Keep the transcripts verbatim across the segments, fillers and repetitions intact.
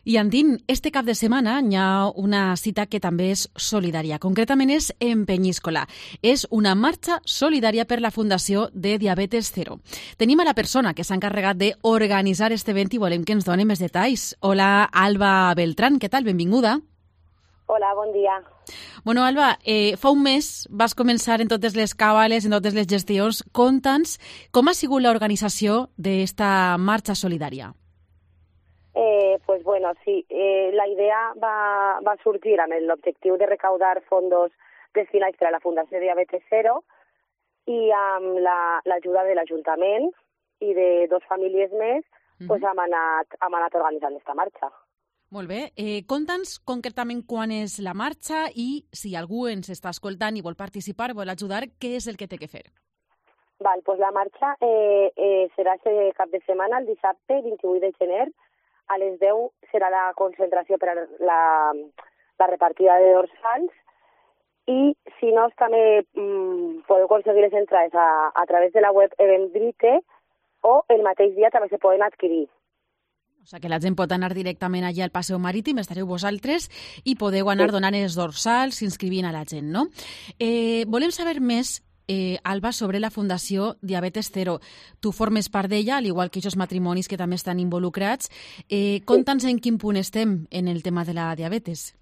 I Andín, este cap de setmana hi ha una cita que també és solidària. Concretament és en Penyíscola. És una marxa solidària per la Fundació de Diabetes Cero. Tenim a la persona que s'ha encarregat d'organitzar este event i volem que ens doni més detalls. Hola, Alba Beltrán, què tal? Benvinguda. Hola, bon dia. Bueno, Alba, eh, fa un mes vas començar en totes les càbales, en totes les gestions. Conta'ns com ha sigut l'organització d'esta marxa solidària. Eh, pues bueno, sí, eh, la idea va, va sorgir amb l'objectiu de recaudar fondos destinats per a la Fundació Diabetes Cero i amb l'ajuda la, de l'Ajuntament i de dos famílies més mm-hmm. pues hem, anat, hem anat organitzant aquesta marxa. Molt bé. Eh, Conta'ns concretament quan és la marxa i si algú ens està escoltant i vol participar, vol ajudar, què és el que té que fer? Val, pues la marxa eh, eh, serà este cap de setmana, el dissabte vint-i-vuit de gener. A les deu serà la concentració per a la, la repartida de dorsals i, si no, també mmm, podeu aconseguir les entrades a, a través de la web Eventbrite o el mateix dia també se poden adquirir. O sigui que la gent pot anar directament allà al Passeig Marítim, estareu vosaltres i podeu anar sí. donant els dorsals, inscrivint a la gent, no? Eh, volem saber més, Eh, Alba, sobre la Fundació Diabetes Cero. Tu formes part d'ella, al igual que aquests matrimonis que també estan involucrats. Eh, Conta'ns en quin punt estem en el tema de la diabetes.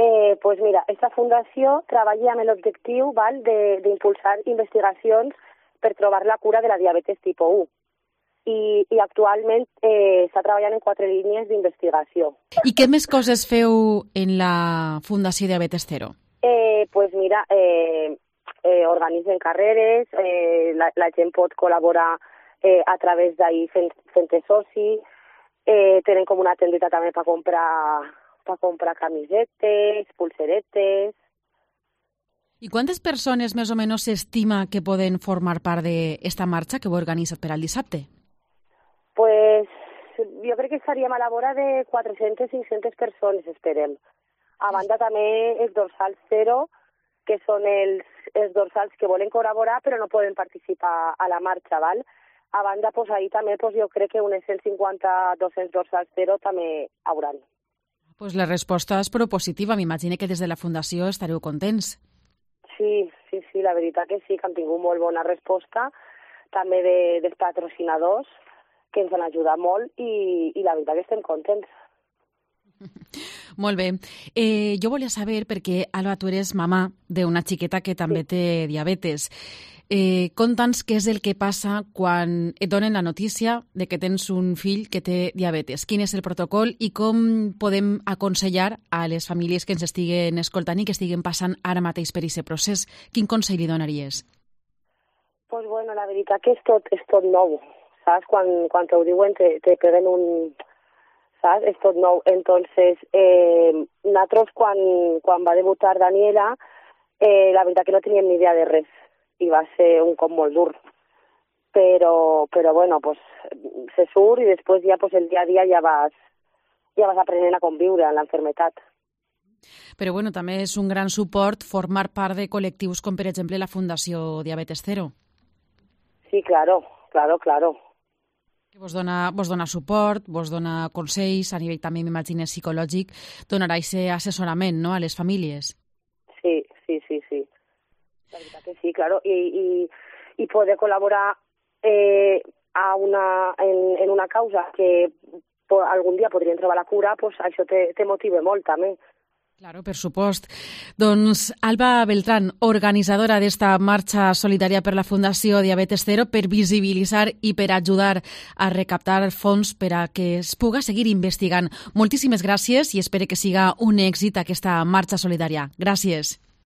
Eh, pues mira, esta fundació treballa amb l'objectiu d'impulsar investigacions per trobar la cura de la diabetes tipus u. I, i actualment eh, està treballant en quatre línies d'investigació. I què més coses feu en la Fundació Diabetes Cero? Eh, pues mira, eh, Eh, organitzen carreres, eh, la, la gent pot col·laborar eh, a través d'ahir fent, fent soci, eh, tenen com una tendeta també per comprar, per comprar camisetes, pulseretes. I quantes persones més o menys s'estima que poden formar part d'esta marxa que heu organitzat per al dissabte? Pues jo crec que estaríem a la vora de quatre-centes a cinc-centes persones, esperem. A banda també els dorsals zero, que són els, els dorsals que volen col·laborar però no poden participar a la marxa, val? A banda, pues, ahir també pues, jo crec que unes cent cinquanta a dos-cents dorsals zero també hauran. Pues la resposta és propositiva, m'imagino que des de la Fundació estareu contents. Sí, sí, sí, la veritat que sí, que han tingut molt bona resposta, també de, dels patrocinadors, que ens han ajudat molt i, i la veritat que estem contents. Molt bé. Eh, jo volia saber, perquè, Alba, tu eres mamà d'una xiqueta que també sí. té diabetes. Eh, Conta'ns què és el que passa quan et donen la notícia de que tens un fill que té diabetes. Quin és el protocol i com podem aconsellar a les famílies que ens estiguen escoltant i que estiguen passant ara mateix per aquest procés? Quin consell li donaries? Pues bueno, la veritat que és tot, és tot nou, saps? Quan, quan t'ho diuen te, te peguen un... saps? És tot nou. Entonces, eh, nosaltres, quan, quan va debutar Daniela, eh, la veritat que no teníem ni idea de res. I va ser un cop molt dur. Però, però bueno, pues, se surt i després ja pues, el dia a dia ja vas, ja vas aprenent a conviure amb l'enfermetat. Però bueno, també és un gran suport formar part de col·lectius com, per exemple, la Fundació Diabetes Cero. Sí, claro, claro, claro. Que vos dona, vos dona suport, vos dona consells, a nivell també, m'imagino, psicològic, donarà aquest assessorament, no?, a les famílies. Sí, sí, sí, sí. La veritat que sí, claro. I, i, i poder col·laborar eh, a una, en, en una causa que po, algun dia podrien trobar la cura, pues això te, te motiva molt, també. Claro, per supost. Doncs Alba Beltrán, organitzadora d'esta marxa solidària per la Fundació Diabetes Cero, per visibilitzar i per ajudar a recaptar fons per a que es puga seguir investigant. Moltíssimes gràcies i espero que siga un èxit aquesta marxa solidària. Gràcies.